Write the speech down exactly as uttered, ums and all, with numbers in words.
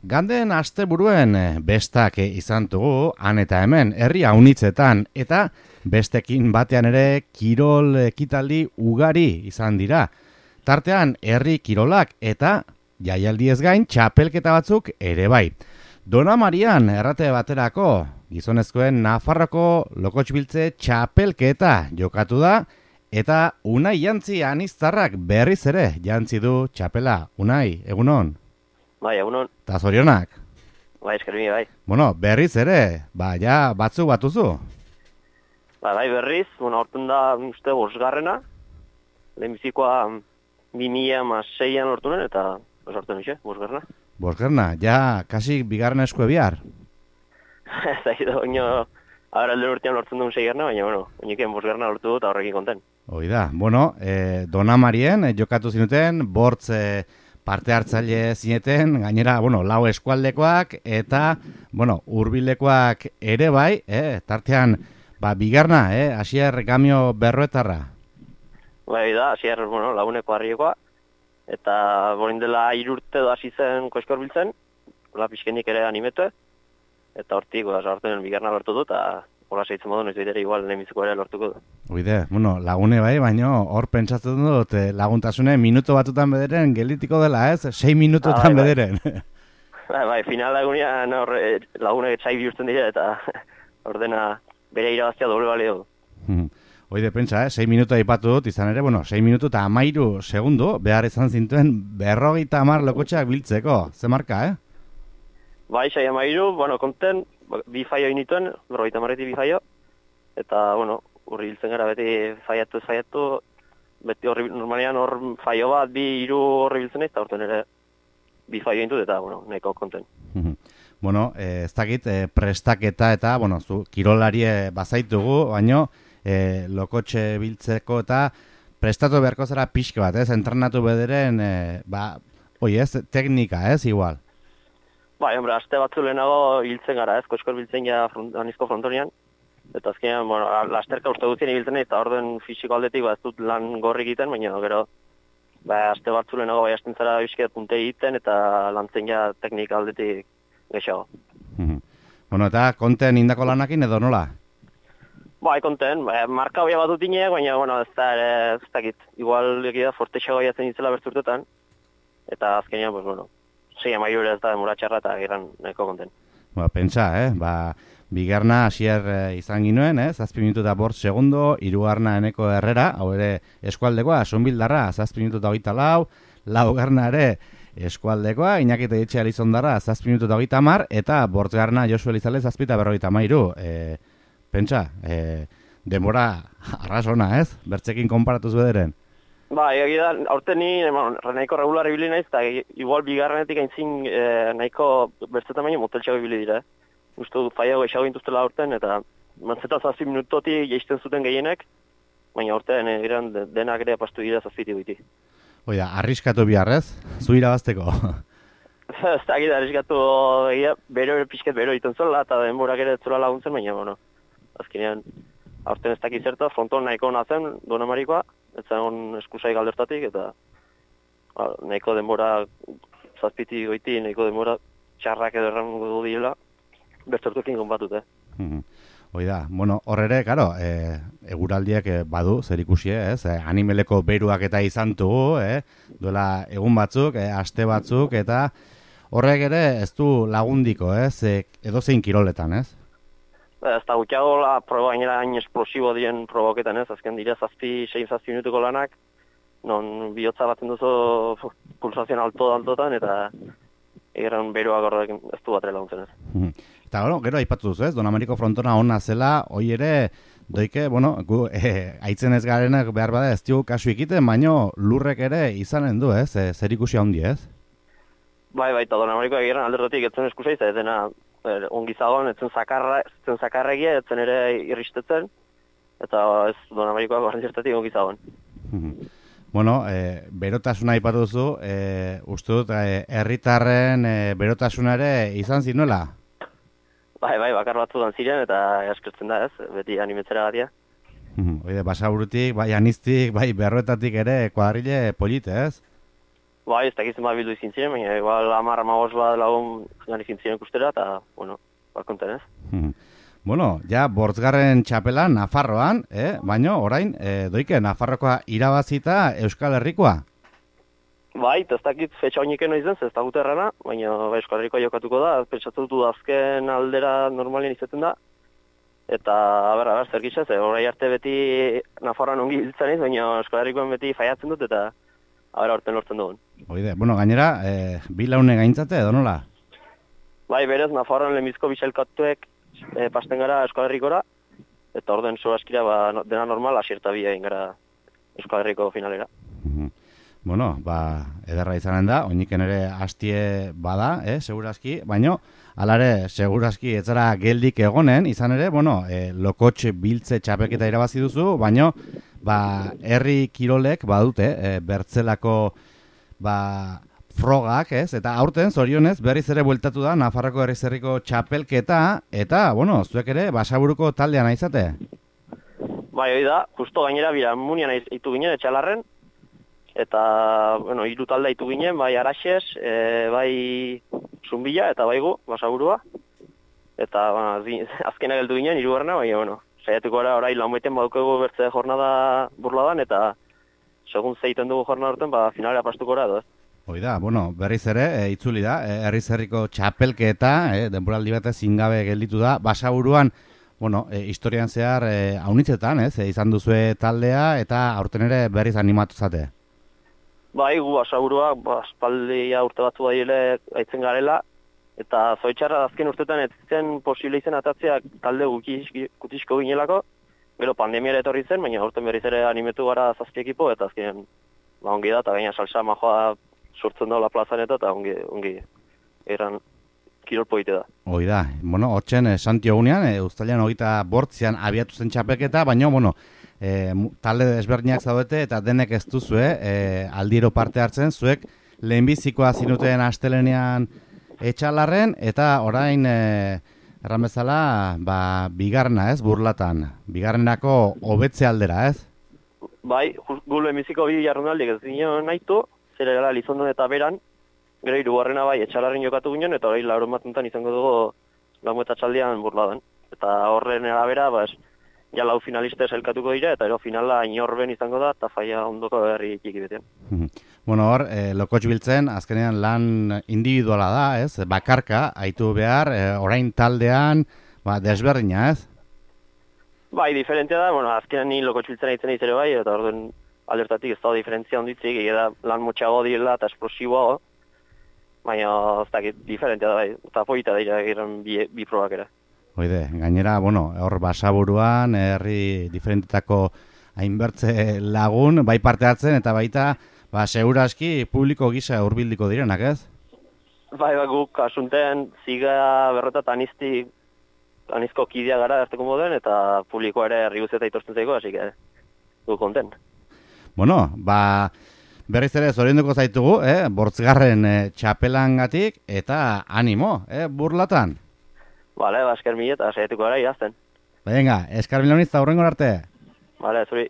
Ganden asteburuen bestak izan dugu, han eta hemen, herri haunitzetan, eta bestekin batean ere kirol ekitaldi ugari izan dira. Tartean, herri kirolak eta jaialdiez gain txapelketa batzuk ere bai. Dona Marian errate baterako, gizonezkoen Nafarroko lokotxbiltze txapelketa jokatu da, eta Unai jantzi aniztarrak berriz ere jantzi du txapela. Unai, egunon? Bai, egunon. Ta zorionak? Bai, eskermi, bai. Bueno, berriz ere, ba, ja, batzuk batuzu? Ba, bai, berriz, bueno, horten da, uste, bosgarrena. Lehenbizikoa bi mila hamaseian hortunen, eta sortu nixe, bosgarrena. Bosgarrena, ja, kasi bigarren eskue bihar? Ez da, oino, ahora alden urtean lortzen duen seigarna, baina, bueno, oiniken bosgarrena lortu dut, horrekin konten. Hoi da, bueno, eh, Dona Marien eh, jokatu zinuten, bortz eh, parte hartzaile zineten, gainera, bueno, lau eskualdekoak, eta, bueno, hurbilekoak ere bai, eh, tartean, ba, bigarna, eh, Asier Gamio Berroetarra. Bai, da, Asier, bueno, laguneko harriekoa, eta borin dela irurte da hasi zen koskor biltzen, hola pixkenik ere animete, eta hortik, ba, horten bigarna lortu dut, eta hola seitzen modu, noiz bidere igual lehenbiziko ere lortuko du. Oide, bueno, lagune bai, baino hor pentsatzen dut, eh, laguntasune minuto batutan bederen gelitiko dela, ez? Sei minututan ah, bai, bederen. Bai, bai, final lagunia no, lagune txai bihurtzen dira, eta ordena bere irabaztia doble balio du. Oide, pentsa, eh? Sei minutu aipatu dut, izan ere, bueno, sei minutu eta amairu segundu, behar izan zintuen berrogeita hamar lokotxeak biltzeko. Ze marka, eh? Bai, sei amairu, bueno, konten, bi faio inituen, berrogeita hamarretik bi faio, eta, bueno, urri biltzen gara beti faiatu ez faiatu, beti horri, normalean hor faio bat, bi hiru horri biltzen eta horten ere bi faio intut eta, bueno, nahiko konten. Bueno, eh, ez dakit, eh, prestaketa eta, bueno, zu, kirolarie bazaitugu, baino, eh, lokotxe biltzeko eta prestatu beharko zara pixke bat, ez? Entrenatu bederen, eh, ba, oi ez, teknika, ez, igual? Bai, hombre, aste batzu lehenago hiltzen gara, ez? Koskor biltzen ja front, anizko frontonian. Eta azkenean, bueno, lasterka uste guztien ibiltzen eta orden fisiko aldetik ba, ez dut lan gorri egiten, baina gero ba, aste batzu lehenago bai hasten zara bizket punte egiten eta lantzen ja teknika aldetik gexago. Bueno, eta konten indako lanakin edo nola? Bai, konten, ba, marka hoia bat dutineak, baina, bueno, ez da, ez dakit, igual egia fortexago jatzen itzela bertzurtetan, eta azkenean, pues, bueno, sei amaiur ez da demora txarra eta giran nahiko konten. Ba, pentsa, eh, ba, bigarna Asier eh, izan ginuen, eh, zazpi minutu eta bortz segundo, hirugarna Eneko Herrera, hau ere eskualdekoa, Sonbildarra, zazpi minutu eta hogeita lau, laugarna ere eskualdekoa, Iñaki Etxea Elizondarra, zazpi minutu eta hogeita hamar, eta bortzgarna Josu Elizale, zazpi eta berrogeita hamairu. Eh, pentsa, eh, denbora arrasona, ez? Bertzekin konparatuz bederen. Ba, egia da, aurten ni nahiko regular ibili naiz, eta igual bigarrenetik aintzin e, nahiko bertzetan baino moteltxago ibili dira. Uste dut faiago eixago gintuztela aurten, eta mantzeta zazpi minutotik jaisten zuten gehienek, baina aurten e, iran denak ere apastu dira zazpiti guiti. Oida, arriskatu biharrez, zu irabazteko. Ez da, gira, arriskatu egia, bero pixket bero iten zola, eta denborak ere zola laguntzen, baina, bueno, azkenean, aurten ez dakit zerta, fronton nahiko nazen, Dona Marikoa, ez zen eskusai galdertatik, eta ba, nahiko denbora zazpiti goiti, nahiko denbora txarrak edo errango du direla, bertzortuekin konbatut, eh? Mm-hmm. Oida, bueno, horre, karo, e, eguraldiak e, badu, zer ikusi, ez? E, animeleko beruak eta izan dugu, eh? Duela egun batzuk, e, aste batzuk, eta horrek ere ez du lagundiko, ez? E, edo zein kiroletan, ez? Ez da gutxiago la proba gainera hain esplosibo dien proboketan, ez? Azken dira zazpi, sein zazpi minutuko lanak, non bihotza batzen duzu pulsazioan alto-altotan, eta egeran beroak horrek ez du bat laguntzen, ez? Eta, bueno, gero aipatu duzu, ez? Don Ameriko frontona ona zela, hoi ere, doike, bueno, gu, e, aitzen ez garenak behar bada ez dugu kasu ikiten, baino lurrek ere izanen du, ez? E, zer ikusi handi, ez? Bai, bai, eta Don Ameriko egeran aldertatik etzen eskusai, ez dena Er, ongi zagoen, etzen zakarra, etzen zakarregia, etzen ere irristetzen, eta ez Don Amerikoa barren zertatik ongi zagoen. Bueno, e, berotasuna aipatu duzu, e, uste dut, e, herritarren e, berotasuna ere izan zinuela? Bai, bai, bakar batzudan ziren, eta eskertzen da ez, beti animetzera gatia. Oide, Basaburutik, bai Aniztik, bai Berroetatik ere kuadrile polite, ez? Bai, ez dakitzen bat bildu izin ziren, baina igual amar amagos bat lagun gani izin ziren ikustera, eta, bueno, bat konten ez. Hmm. Bueno, ja, bortzgarren txapela Nafarroan, eh? baina orain, eh, doike, Nafarrokoa irabazita Euskal Herrikoa. Bai, ez dakit fetxa honik eno izan, ez dagut errana, baina bai, Euskal Herrikoa jokatuko da, pentsatu dut azken aldera normalien izaten da, eta, aber, aber, zer gitza, ze, orai arte beti Nafarroan ongi hiltzen iz, baina Euskal Herrikoan beti faiatzen dut, eta, aber, aurten lortzen dugun. Oide, bueno, gainera, eh, bi laune gaintzate, edo nola? Bai, berez, Nafarroan lehenbizko bisailkatuek e, pasten gara Euskal Herrikora, eta orden zo askira, ba, dena normal, asierta bi egin gara Euskal Herriko finalera. Mhm. Bueno, ba, ederra izanen da, oiniken ere hastie bada, eh, segurazki, baino, alare, segurazki ez zara geldik egonen, izan ere, bueno, eh, lokotxe biltze txapelketa irabazi duzu, baino, ba, herri kirolek badute, eh, bertzelako, ba, frogak, ez? Eta aurten, zorionez, berriz ere bueltatu da Nafarroko herriz herriko txapelketa, eta, bueno, zuek ere, Basaburuko taldean aizate? Bai, hori da, justo gainera, bira, munian aitu ginen, etxalarren, eta, bueno, hiru talde ditu ginen, bai Araxes, e, bai Zumbila, eta bai gu, Basaburua. Eta, bueno, azkena geldu ginen, hirugarrena, bai, bueno, saiatuko gara orain lan baiten badukegu bertze jornada burladan, eta segun zeiten dugu jornada horten, ba, finalera pastuko gara, edo, ez? Hoi da, bueno, berriz ere, e, itzuli da, e, herriz herriko txapelketa, e, denboraldi batez zingabe gelditu da, Basaburuan, bueno, e, historian zehar e, haunitzetan, ez, e, izan duzue taldea, eta aurten ere berriz animatu zate. Bai, gu Basaburua, ba, espaldia urte batzu baiele aitzen garela, eta zoitxarra azken urtetan ez zen posible izen atatzeak talde gutisko ginelako, gero pandemiara etorri zen, baina aurten berriz ere animetu gara zazpi ekipo, eta azken ba, ongi da, eta gaina salsa majoa sortzen daula plazan eta, eta ongi, ongi eran kirol poite da. Hoi da, bueno, hortzen eh, Santio egunean, eh, uztailean hogeita bortzian abiatu zen txapelketa, baina, bueno, E, talde desberdinak zaudete eta denek ez duzue e, aldiro parte hartzen, zuek lehenbizikoa zinuten astelenean etxalarren eta orain e, erran bezala ba, bigarna ez, burlatan, bigarrenako hobetze aldera ez? Bai, gu lehenbiziko bi jarrunaldik ez ginen nahitu, zer era Lizondon eta beran, gero hirugarrena bai etxalarren jokatu ginen eta orain lauron batuntan izango dugu lamueta txaldean burladan. Eta horren arabera, ba, ja lau finalista elkatuko dira, eta ero finala inorben izango da, eta faia ondoko herri txiki betean. Bueno, hor, e, lokotx biltzen, azkenean lan individuala da, ez? Bakarka, haitu behar, e, orain taldean, ba, desberdina, ez? Bai, diferentzia da, bueno, azkenean ni lokotx biltzen haitzen izere bai, eta orduan aldertatik ez da diferentzia onditzik, egeda lan motxago dira eta esplosiboago, baina ez dakit diferentzia da bai, eta poita dira egiren bi, bi probak ere. Oide, gainera, bueno, hor Basaburuan, herri diferentetako hainbertze lagun, bai parte hartzen, eta baita, ba, seguraski publiko gisa hurbildiko direnak, ez? Bai, ba, guk asunten ziga berrota eta anizti, anizko kidea gara harteko moden, eta publiko ere herri guztieta itortzen zaiko, hasi que guk konten. Bueno, ba, berriz ere zorionduko zaitugu, eh? Bortzgarren eh, txapelangatik, eta animo, eh? Burlatan. Bale, ba, esker mila eta saietuko gara irazten. Venga, eskar miloniz, aurrengo arte. Bale, zuri.